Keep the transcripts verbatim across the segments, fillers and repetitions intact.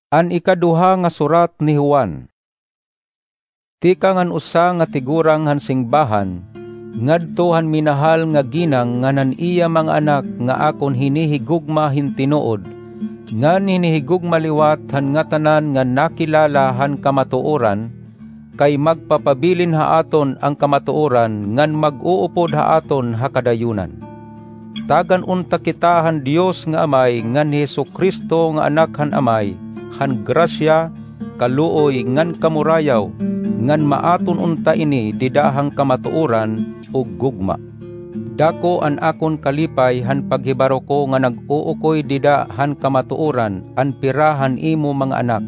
An ikaduha nga surat ni Juan. Tikang han usa nga tigurang han singbahan, ngadto han minahal nga ginang ngan han iya mga anak nga akon hinihigugma hin tinuod, ngan hinihigugma liwat han ngatanan nga nakilala han kamatuoran, kay magpapabilin ha aton an kamatuoran ngan mag-uupod ha aton ha kadayunan. Tagan unta kita han Dios nga Amay ngan Jesu-Cristo nga Anak han Amay, han grasya, kaluoy, ngan kamurayaw, ngan maaton unta ini dida han kamatuoran ug gugma. Dako an akon kalipay han paghibaro ko nga nag-uukoy dida han kamatuoran an pira han imo mga anak,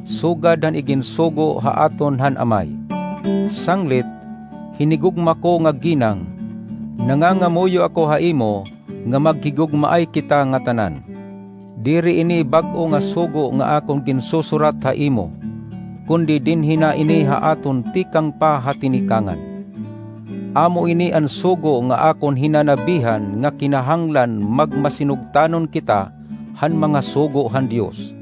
sugad han iginsugo ha aton han Amay. Sanglit, hinigugma ko nga ginang, nangangamuyo ako ha imo nga maghigugmaay kita ngatanan. Diri ini bag-o nga sugo nga akon ginsusurat ha imo, kundi dinhi na ini ha aton tikang pa ha tinikangan. Amo ini an sugo nga akon hinanabihan nga kinahanglan magmasinugtanon kita han mga sugo han Dios.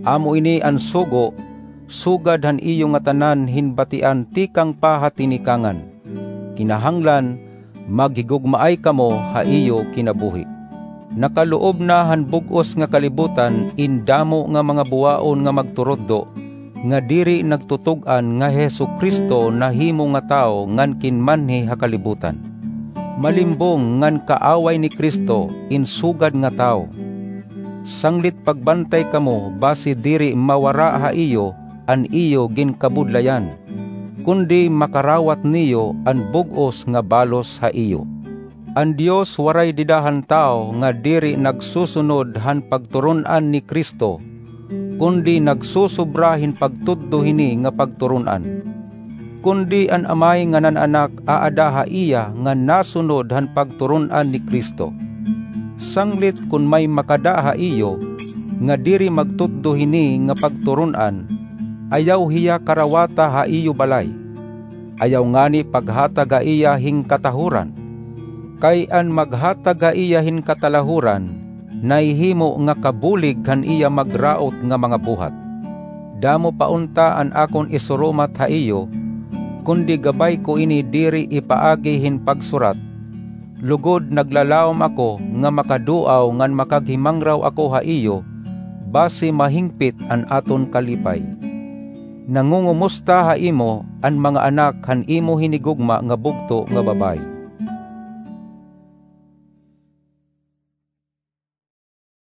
Amo ini an sugo sugad han iyo ngatanan hin batian tikang pa ha tinikangan. Kinahanglan maghigugmaay kamo ha iyo kinabuhi. Nakaloob na han bug-os nga kalibutan in damo nga mga buwaon nga magturuddo nga diri nagtutug-an nga hi Jesu-Cristo nahimo nga tawo ngan kinmanhi ha kalibutan. Malimbong ngan kaaway ni Cristo in sugad nga tawo. Sanglit pagbantay kamo basi diri mawara ha iyo an iyo ginkabudlayan, kundi makarawat niyo an bug-os nga balos ha iyo. An Dios waray dida han tawo nga diri nagsusunod han pagturon-an ni Cristo, kundi nagsusobra hin pagtudlo hini nga pagturon-an. Kundi an Amay ngan an Anak aada ha iya nga nasunod han pagturon-an ni Cristo. Sanglit kon may makada ha iyo nga diri magtudlo hini nga pagturon-an, ayaw hiya karawata ha iyo balay. Ayaw ngani paghatag ha iya hin katahoran. Kay an maghatag ha iya hin katalahoran, nahihimo nga kabulig han iya magraot nga mga buhat. Damo pa unta an akon isurumat ha iyo, kundi gabay ko ini diri ipaagi hin pagsurat, lugod naglalawom ako nga makaduaw ngan makaghimangraw ako ha iyo, basi mahingpit an aton kalipay. Nangungumusta ha imo an mga anak han imo hinigugma nga bugto nga babaye.